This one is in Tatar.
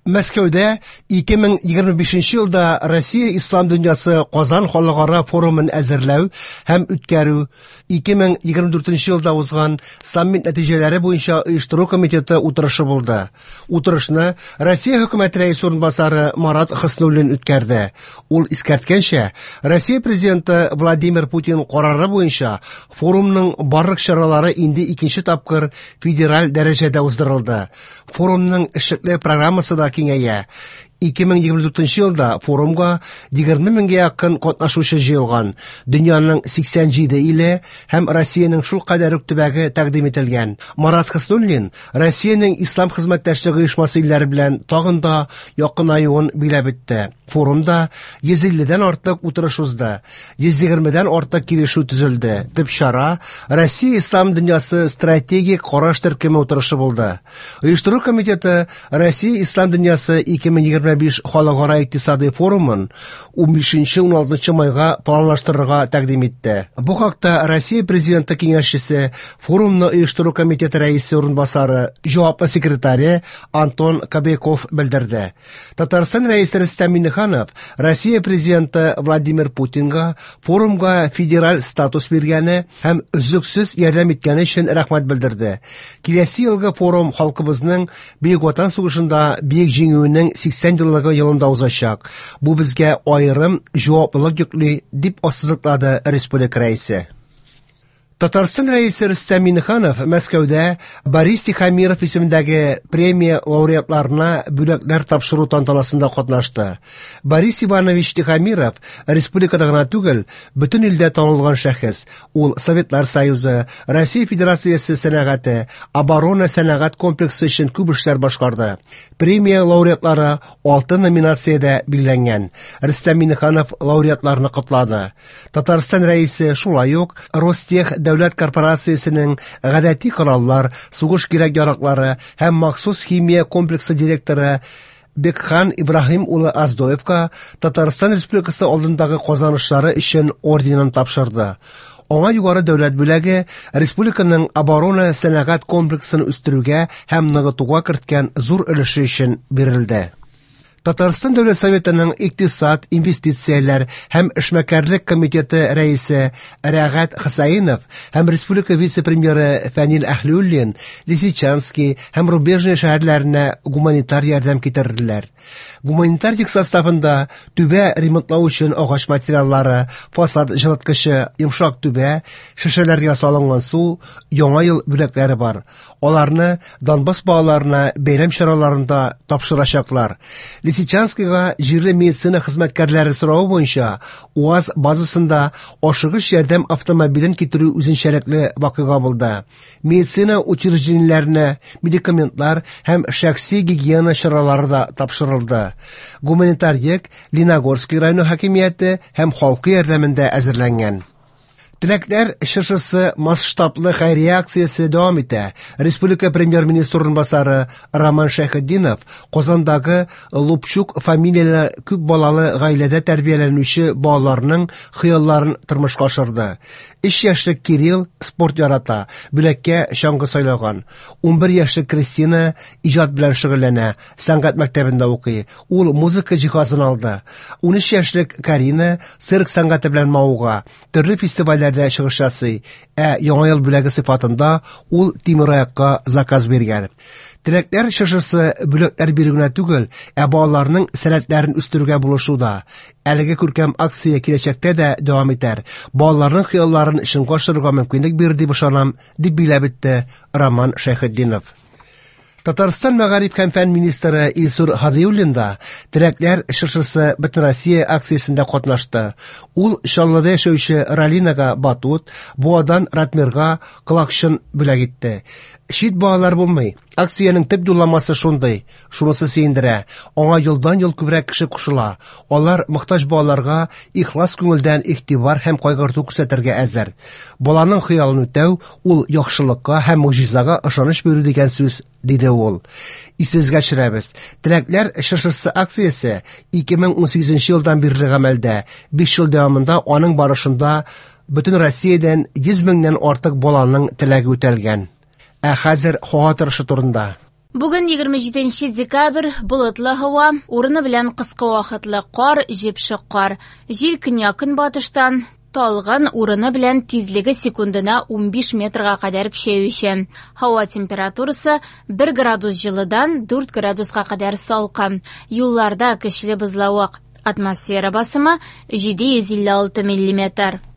Мәскәүдә 2025 елда Россия Ислам дөньясы Казан халыкара форумын әзерләү һәм үткәрү, 2024 елда узган саммит нәтиҗәләре буенча оештыру комитеты утырышы булды. Утырышны Россия хөкүмәте рәисе урынбасары Марат Хөснуллин үткәрде. Ул искәрткәнчә, Россия президенты Владимир Путин карары буенча форумның барлык чаралары инде икенче тапкыр федераль дәрәҗәдә уздырылды. Форумның эшлекле программасы да киңәя. 2024 елда форумга 20 меңгә якын катнашучы җыелган. Дөньяның 87 иле һәм Россиянең шул кадәр үк төбәге тәкъдим ителгән. Марат Хөснуллин Россиянең Ислам хезмәттәшлеге оешмасы илләре белән тагын да якынаюын биләп үтте. Форумда 150дән артык утырыш узды. 120дән артык килешү төзелде. Төп чара Россия Ислам дөньясы стратегик караш төркеме утырышы булды. Оештыру комитеты Россия Ислам дөньясы 2025 халыкара икътисади форумын 15-16 майга планлаштырырга тәкъдим итте. Бу хакта Россия президенты киңәшчесе, форумны оештыру комитеты рәисе урынбасары, җаваплы секретаре Антон Кобяков белдерде. Татарстан рәисе Рөстәм Миңнеханов Россия президенты Владимир Путинга форумга федераль статус биргәне һәм өзлексез ярдәм иткәне өчен рәхмәт белдерде. Киләсе елгы форум халкыбызның Бөек Ватан сугышында бөек җиңүенең 80 еллыгы елында узачак. Бу безгә аерым җаваплылык йөкли, дип ассызыклады республика рәисе. Татарстан рәисе Рөстәм Миңнеханов Мәскәүдә Борис Тихомиров исемендәге премия лауреатларына бүләкләр тапшыру тантанасында катнашты. Борис Иванович Тихомиров республикада гына түгел, бөтен илдә танылган шәхес. Ул Советлар Союзы, Россия Федерациясе сәнәгате, оборона сәнәгать комплексы өчен күп эшләр башкарды. Премия лауреатлары 6 номинациядә билгеләнгән. Рөстәм Миңнеханов лауреатларны котлады. Татарстан рәисе шулай ук Ростех дәүләт корпорациясенең гадәти кораллар, сугыш кирәк-яраклары һәм махсус химия комплексы директоры Бекхан Ибраһим улы Аздоевка Татарстан Республикасы алдындагы казанышлары өчен орденын тапшырды. Аңа югары дәүләт бүләге республиканың оборона сәнәгать комплексын үстерүгә һәм ныгытуга керткән зур өлеше өчен бирелде. Татарстан Дәүләт Советының икътисад, инвестицияләр һәм эшмәкәрлек комитеты рәисе Рәгать Хәсәинов һәм республика вице-премьеры Фәнил Әһлиуллин Лисичанский һәм Рубежное шәһәрләренә гуманитар ярдәм китерделәр. Гуманитар йөк составында түбә ремонтлау өчен агач материаллары, фасад җылыткычы, йомшак түбә, шешәләргә салынган су, яңа ел бүләкләре бар. Аларны Донбасс балаларына бәйрәм чараларында тапшырачаклар. Лисичанскийга җирле медицина хезмәткәрләре соравы буенча УАЗ базасында ашыгыч ярдәм автомобилен китерү үзенчәлекле вакыйга булды. Медицина учреждениеләренә медикаментлар һәм шәхси гигиена чаралары да тапшырылды. Гуманитар йөк Леногорский районы хакимияте һәм халкы ярдәмендә әзерләнгән. Теләкләр чыршысы масштаблы хәйрия акциясе дәвам итә. Республика премьер-министры урынбасары Роман Шәйхетдинов Казандагы Лупчук фамилияле күп балалы гаиләдә тәрбияләнүче балаларның хыялларын тормышка ашырды. 3 яшьлек Кирилл спорт ярата, бүләккә чаңгы сайлаган. 11 яшьлек Кристина иҗат белән шөгыльләнә, сәнгать мәктәбендә укый. Ул музыка җиһазын алды. 13 яшьлек Карина цирк сәнгате белән мавыга, төрле фестивальләрдә чыгыш ясый, ә яңа ел бүләге сыйфатында ул тимераякка заказ биргән. Теләкләр чыршысы бүләкләр бирү генә түгел, ә балаларның сәләтләрен үстерүгә булышу да. Әлеге күркәм акция киләчәктә дә дәвам итәр. Балаларның хыялларын чынга ашырырга мөмкинлек бирер дип ышанам, дип биләп үтте Роман Шәйхетдинов. Татарстан мәгариф һәм фән министры Илсур Һадиуллин да Теләкләр чыршысы Бөтенроссия акциясендә катнашты. Ул Чаллыда яшәүче Ралинага батут, Буадан Ратмирга колакчын бүләк итте. Чит балалар булмый. Акциянең төп юлламасы шундый. Шунысы сөендерә. Аңа елдан-ел күбрәк кеше кушыла. Алар мохтаҗ балаларга ихлас күңелдән игътибар һәм кайгырту күрсәтергә әзер. Баланың хыялын үтәү ул яхшылыкка һәм могҗизага ышаныч бирү дигән сүз, диде ул. Исегезгә төшерәбез. Теләкләр чыршысы акциясе 2018 елдан бирле гамәлдә. 5 ел дәвамында аның барышында бөтен Россиядән 100 меңнән артык баланың теләге үтәлгән. Ә хәзер һава торышы турында. Бүген 27 декабрь, болытлы һава, урыны белән кыска вакытлы кар, җепшек кар. Җил көньяк-көнбатыштан, талгын, урыны белән тизлеге секундына 15 метрга кадәр көчәючән. Һава температурасы 1 градус җылыдан 4 градуска кадәр салкын. Юлларда көчле бозлавык. Атмосфера басымы 756 миллиметр.